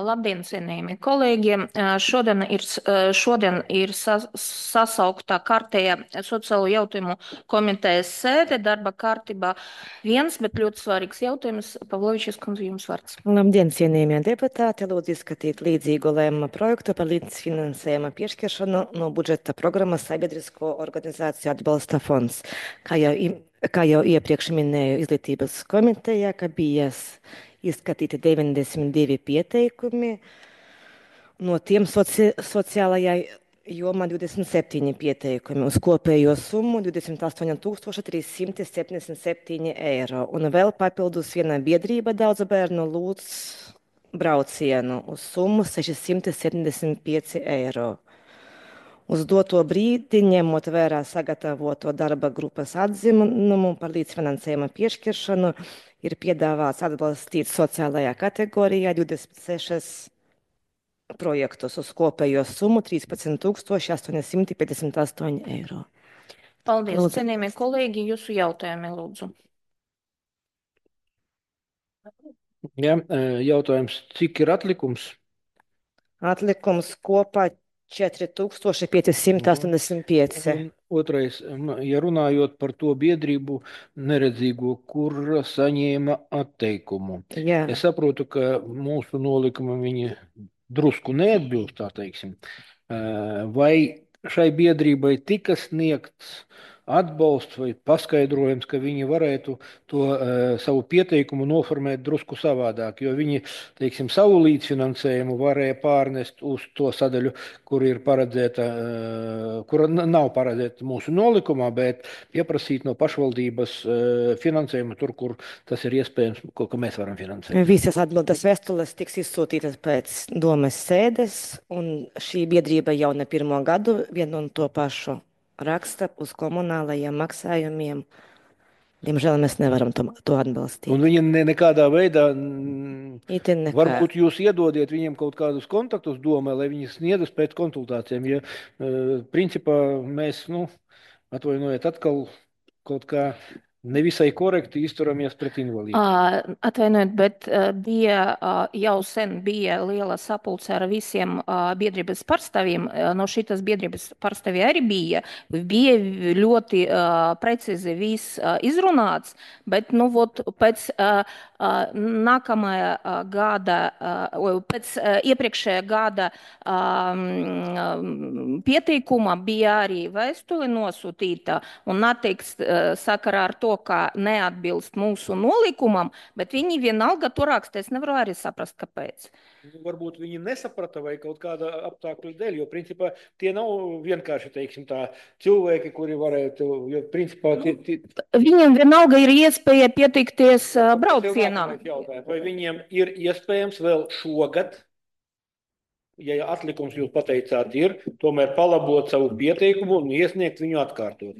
Labdien, cienījamie kolēģi! Šodien ir sasauktā kārtējā sociālo jautājumu komitejas sēde darba kārtībā. Viens, bet ļoti svarīgs jautājums. Pavlovičs kundze, jums vārds. Labdien, cienījamie deputāti! Lūdzu izskatīt līdzīgu lēmuma projektu par līdzfinansējuma piešķiršanu no budžeta programmas Sabiedrisko organizāciju atbalsta fonds. Kā jau iepriekš minēju izglītības komitejā, ka bija izskatīti 92 pieteikumi, no tiem sociālajā jomā 27 pieteikumi uz kopējo summu 28,377 eiro. Un vēl papildus viena biedrība daudzu bērnu lūdz braucienu uz summu 675 eiro. Uz doto brīdi, ņemot vērā sagatavoto darba grupas atzinumu par līdzfinansējuma piešķiršanu, ir piedāvāts atbalstīt sociālajā kategorijā 26 projektus uz kopējo summu 13,858 eiro. Paldies, Lūdzu. cienījamie kolēģi, jūsu jautājumi, lūdzu. Ja, jautājums, cik ir atlikums? Atlikums kopā 4585. Un otrais, ja runājot par to biedrību neredzīgo, kur saņēma atteikumu. Jā. Es saprotu, ka mūsu nolikuma viņi drusku neatbilst, tā teiksim. Vai šai biedrībai tika sniegts atbalsts vai paskaidrojums, ka viņi varētu to savu pieteikumu noformēt drusku savādāk, jo viņi, teiksim, savu līdzfinansējumu varēja pārnest uz to sadaļu, kur ir paredzēta, kura nav paredzēta mūsu nolikumā, bet pieprasīt no pašvaldības finansējumu tur, kur tas ir iespējams, ko mēs varam finansēt. Visas atbildes vēstules tiks izsūtītas pēc domes sēdes, un šī biedrība jau ne pirmo gadu vienu un to pašu raksta uz komunālajiem maksājumiem. Diemžēl mēs nevaram to atbalstīt. Un viņi nekādā veidā, varbūt jūs iedodiet viņiem kaut kādus kontaktus domē, lai viņi sniedz pēc konsultācijām. Ja, principā mēs, atvainojiet, atkal kaut kā nevisai korekti izturamies pret invalīdiem. Atvainojiet, bet jau sen bija liela sapulce ar visiem biedrības pārstāvjiem. No šitas biedrības pārstāvji arī bija ļoti precīzi viss izrunāts, bet pēc nākamajā gada, pēc iepriekšējā gada pieteikuma bija arī vēstule nosūtīta un atteikts sakarā ar to, ka neatbilst mūsu nolikumam, bet viņi vienalga to raksta. Es nevaru arī saprast, kāpēc. Varbūt viņi nesaprata vai kaut kāda apstākļu dēļ, jo principā tie nav vienkārši, teiksim tā, cilvēki, kuri varētu, jo principā... Viņiem vienalga ir iespēja pieteikties braucienam. Vai viņiem ir iespējams vēl šogad, ja atlikums jūs pateicāt ir, tomēr palabot savu pieteikumu un iesniegt viņu atkārtot?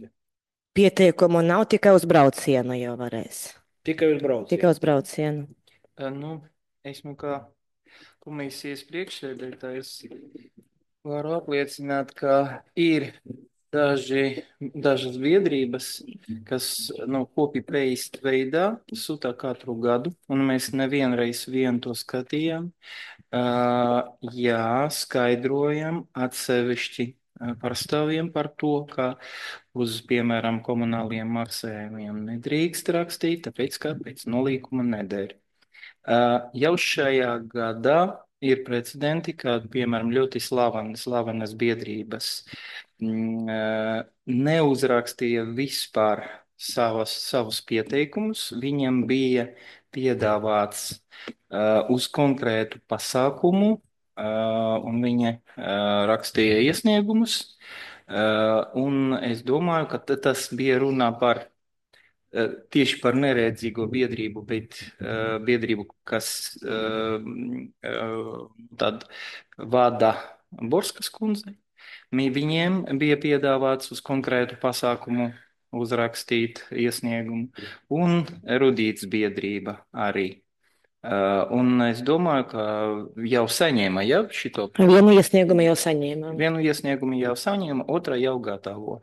Pieteikumu nav, tikai uz braucienu jau varēs. Tikai uz braucienu? Tikai uz braucienu. Esmu kā komisijas priekšsēdētājs, varu apliecināt, ka ir dažas biedrības, kas copy-paste veidā sūtā katru gadu, un mēs nevienreiz to skatījām. Jā, skaidrojam atsevišķi pārstāvjiem par to, ka uz, piemēram, komunāliem maksājumiem nedrīkst rakstīt, tāpēc, ka pēc nolīkuma neder. Jau šajā gadā ir precedenti, kad, piemēram, ļoti slavenas biedrības neuzrakstīja vispār savus pieteikumus. Viņam bija piedāvāts uz konkrētu pasākumu, un viņa rakstīja iesniegumus. Un es domāju, ka tas bija runā par tieši par neredzīgo biedrību, bet biedrību, kas tad vada Borskas kundze. Viņiem bija piedāvāts uz konkrētu pasākumu uzrakstīt iesniegumu, un Rudīts biedrība arī. Un es domāju, ka jau saņēma šito. Vienu iesniegumu jau saņēma. Vienu iesniegumu jau saņēma, otra jau gatavo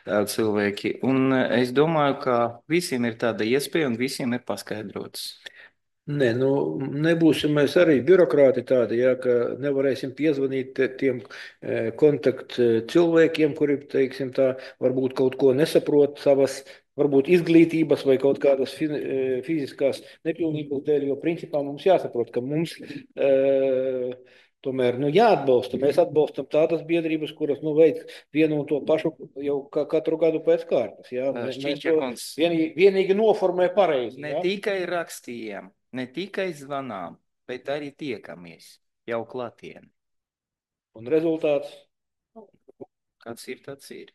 cilvēki. Un es domāju, ka visiem ir tāda iespēja un visiem ir paskaidrots. Nē, nu, nebūsim mēs arī birokrāti tādi, ja, ka nevarēsim piezvanīt tiem kontakt cilvēkiem, kuri, teiksim tā, varbūt kaut ko nesaprot savas, varbūt izglītības vai kaut kādas fiziskās nepilnības dēļ, jo principā mums jāsaprot, ka mums tomēr jāatbalsta. Mēs atbalstam tādas biedrības, kuras veic vienu un to pašu jau katru gadu pēc kārtas. Ja? Mēs to vienīgi noformē pareizi. Ne tikai rakstījām, ne tikai zvanām, bet arī tiekamies jau klātienē. Un rezultāts? Kāds ir, tāds ir.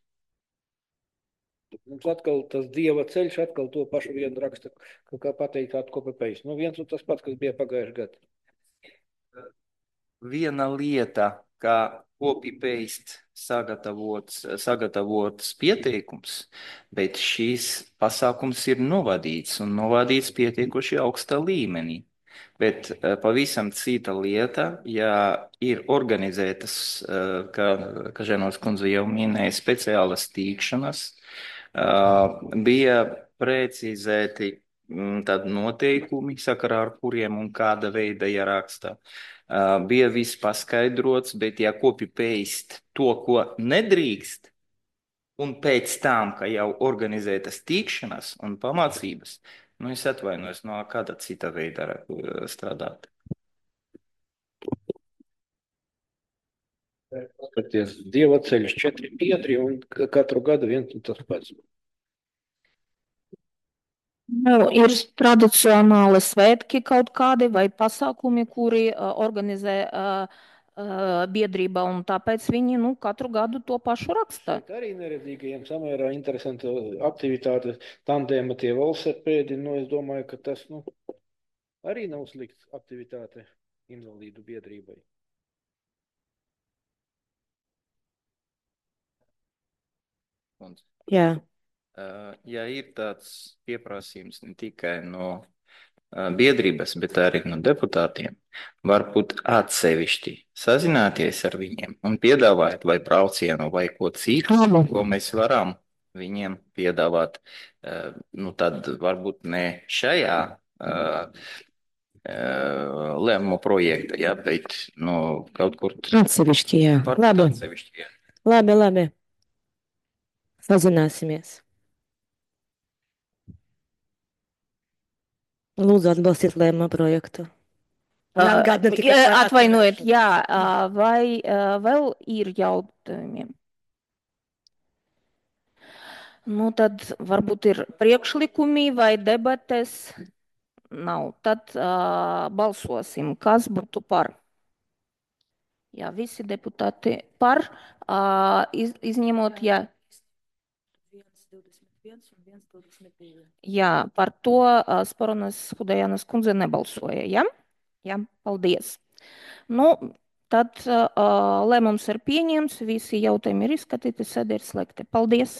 Mums atkal tas dieva ceļš, atkal to pašu vienu raksta, kā pateikt, atkopēpējis. Viens un tas pats, kas bija pagājuši gadu. Viena lieta, kā copy-paste sagatavots pieteikums, bet šīs pasākums ir novadīts un novadīts pietiekoši augstā līmenī. Bet pavisam cita lieta, ja ir organizētas, kā Ženovas kundze jau minēja, speciālas tikšanas, bija precizēti tādi noteikumi, sakarā ar kuriem un kāda veida jāraksta. Bija viss paskaidrots, bet ja copy-paste to, ko nedrīkst, un pēc tam, ka jau organizētas tikšanas un pamācības, es atvainojos, no kāda cita veida strādāt. Skaties, dieva ceļš 4 biedri un katru gadu viens un tas pats. Ir tradicionāli svētki kaut kādi vai pasākumi, kuri organizē biedrība, un tāpēc viņi katru gadu to pašu raksta. Bet arī neredzīgajiem samērā interesanta aktivitāte, tandēma tie velosipēdi, es domāju, ka tas arī nav slikts aktivitāte invalīdu biedrībai. Jā. Ja ir tāds pieprasījums ne tikai no biedrības, bet arī no deputātiem, varbūt atsevišķi sazināties ar viņiem un piedāvāt vai braucienu vai ko citu, ko mēs varam viņiem piedāvāt. Tad varbūt ne šajā lēmumu projekta, ja, bet kaut kur Atsevišķi, jā. Labi. Atsevišķi, jā. Labi. Sazināsimies. Lūdzu, atbalstiet lēmumu projektu. Atvainojiet, jā, vai vēl ir jautājumiem? Tad varbūt ir priekšlikumi vai debates. Nav. Tad balsosim. Kas būtu par? Jā, visi deputāti par, izņemot, jā. 121 un 122. Jā, par to Sporonas Hudajānas kundze nebalsoja, ja? Jā, paldies. Tad lēmums ir pieņemts, visi jautājumi ir izskatīti, sēde ir slēgta. Paldies!